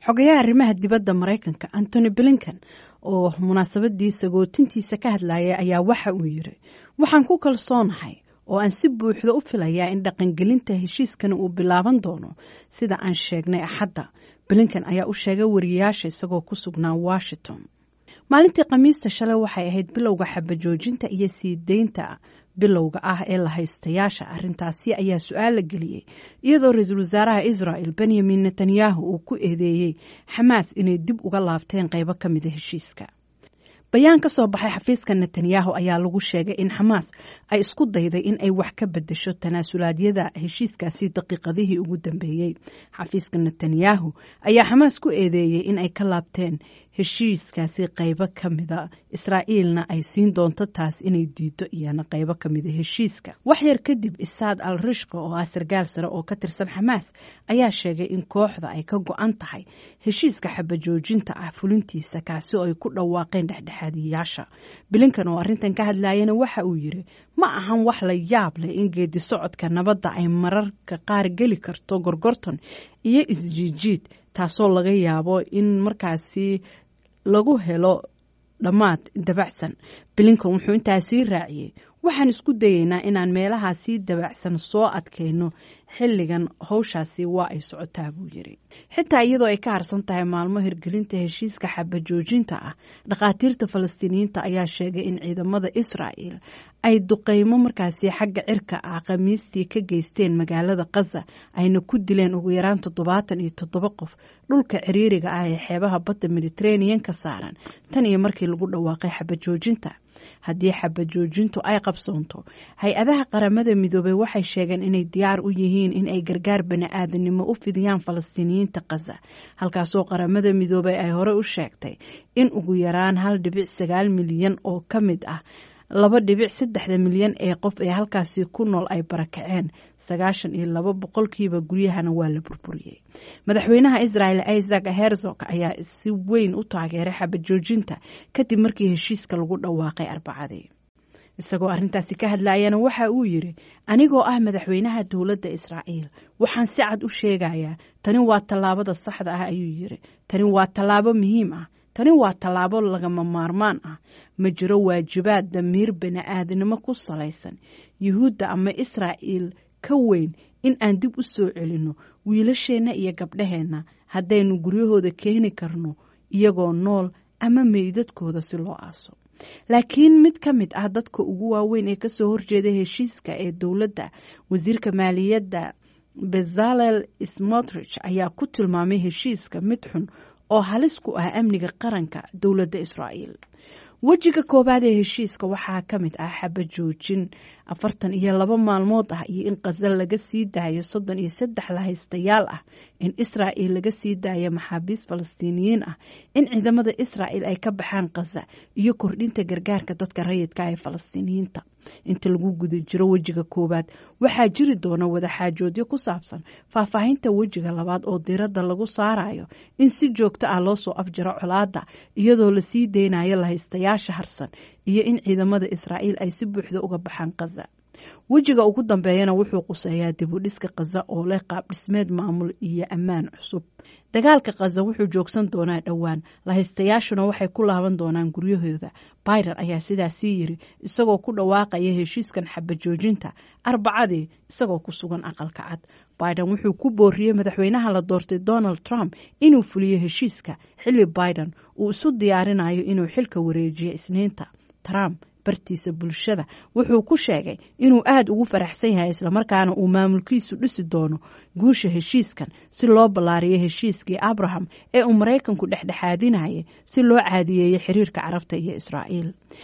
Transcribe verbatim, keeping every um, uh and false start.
Xogayaha arrimaha dibadda Maraykanka Antony Blinken oo munaasabadii sagootintiisa ka hadlayay ayaa waxa uu yiri: "Waxaan ku kalsoonahay oo aan si buuxda u filayaa in dhaqangelinta heshiiskani uu bilaaban doono sida aan sheegnay Axadda," Blinken ayaa u sheegay wariyayaasha isagoo ku sugnaa Washington maalintii Khamiista. Shalay waxay ahayd bilowga xabajoojinta iyo sii deynta bilowga ah ee la haystayaasha. Arrintaasi ayaa su-aal la geliyey iyadoo ra-iisul wasaaraha Israel Benyamin Netanyahu uu ku eedeeyey Xamaas inay dib uga laabteen qeybo ka mida heshiiska. Bayaan ka soo baxay xafiiska Netanyahu ayaa lagu sheegay in Xamaas ay isku dayday in ay wax ka bedesho tanaasulaadyada heshiiskaasi daqiiqadihii ugu dambeeyey. Xafiiska Netanyahu ayaa Xamaas ku eedeeyey in ay ka laabteen heshiiskaasi qeybo ka mida, Israa'iilna ay siin doonto taas inay diido iyana qeybo ka mida heshiiska. Wax yar kadib, Isaad al Rishqa oo ah sargaal sare oo ka tirsan Xamaas ayaa sheegay in kooxda ay ka go-an tahay heshiiska xabajoojinta ah fulintiisa, kaasi oo ay ku dhawaaqeen dhexdhexaadiyayaasha. Blinken oo arrintan ka hadlayana waxa uu yiri: "Ma ahan wax la yaab leh in geedi socodka nabadda ay mararka qaar geli karto gorgorton iyo isjiijiid, taasoo laga yaabo in markaasi lagu helo dhammaad dabacsan." Blinken wuxuu intaa sii raaciyey: "Waxaan isku dayeynaa inaan meelahaasii dabacsan soo adkayno. Xilligan howshaasi waa ay socotaa," buu yiri. Xitaa iyadoo ay ka harsan tahay maalmo hirgelinta heshiiska xabajoojinta ah, dhakhaatiirta Falastiiniyiinta ayaa sheegay in ciidamada Israa'el ay duqeymo markaasi xagga cirka ah Khamiistii ka geysteen magaalada Qaza, ayna ku dileen ugu yaraan toddobaatan iyo toddoba qof dhulka ciriiriga ah ee xeebaha badda Mediterranean ka saaran tan iyo markii lagu dhawaaqay xabajoojinta. Haddii xabajoojintu ay qabsoonto, hay-adaha Qaramada Midoobey waxay sheegeen inay diyaar u yihiin in ay gargaar bani-aadanimo u fidiyaan Falastiiniyiinta Qaza, halkaasoo Qaramada Midoobey ay hore u sheegtay in ugu yaraan hal dhibic sagaal milyan oo ka mid ah laba dhibic saddexda milyan ee qof ee halkaasi ku nool ay barakaceen, sagaashan iyo laba boqolkiiba guryahana waa la burburiyey. Madaxweynaha Israel Isaac Herzog ayaa si weyn u taageeray xabajoojinta kadib markii heshiiska lagu dhawaaqay Arbacadii. Isagoo arrintaasi ka hadlayana waxa uu yiri: "Anigoo ah madaxweynaha dowladda Israa'iil, waxaan si cad u sheegayaa tani waa tallaabada saxda ah," ayuu yiri. "Tani waa tallaabo muhiim ah. Tani waa tallaabo lagama maarmaan ah. Ma jiro waajibaad damiir bani-aadnimo ku salaysan Yuhuudda ama Israa'iil ka weyn in aan dib u soo celinno wiilasheenna iyo gabdhaheenna, haddaynu guryahooda keeni karno iyagoo nool ama meydadkooda si loo aaso." Laakiin mid ka mid ah dadka ugu waaweyn ee kasoo horjeeda heshiiska ee dowladda, wasiirka maaliyadda Bezalel Smotrich, ayaa ku tilmaamay heshiiska mid xun oo halis ku ah amniga qaranka dowladda Israa'iil. Wejiga koowaad ee heshiiska waxaa ka mid ah xabajoojin afartan iyo laba maalmood ah iyo in Qaza laga sii daayo soddon iyo saddex lahaystayaal ah, in Israa'il laga sii daayo maxaabiis Falastiiniyiin ah, in ciidamada Israa'il ay ka baxaan Qaza iyo kordhinta gargaarka dadka rayidka ee Falastiiniyiinta. Inta lagu guda jiro wejiga koowaad, waxaa jiri doona wadaxaajoodyo ku saabsan faahfaahinta wejiga labaad oo diiradda lagu saarayo in si joogto ah loo soo afjaro colaadda iyadoo lasii deynayo lahaystayaasha harsan iyo in ciidamada Israa'iil ay si buuxda uga baxaan Qaza. Wejiga ugu dambeeyana wuxuu quseeyaa dib u dhiska Qaza oo leh qaab dhismeed maamul iyo ammaan cusub. Dagaalka Qaza wuxuu joogsan doonaa dhowaan, lahaystayaashuna waxay ku laaban doonaan guryahooda, Biden ayaa sidaasii yiri isagoo ku dhawaaqaya heshiiskan xabajoojinta Arbacadii isagoo ku sugan Aqalka Cad. Biden wuxuu ku booriyey madaxweynaha la doortay Donald Trump inuu fuliyo heshiiska, xilli Biden uu isu diyaarinayo inuu xilka wareejiyo Isniinta. Trump bartiisa bulshada wuxuu ku sheegay inuu aada ugu faraxsan yahay, islamarkaana uu maamulkiisu dhisi doono guusha heshiiskan si loo ballaariyo heshiiskii Abraham ee uu Maraykanku dhexdhexaadinayay si loo caadiyeeyo xiriirka Carabta iyo Israa'iil.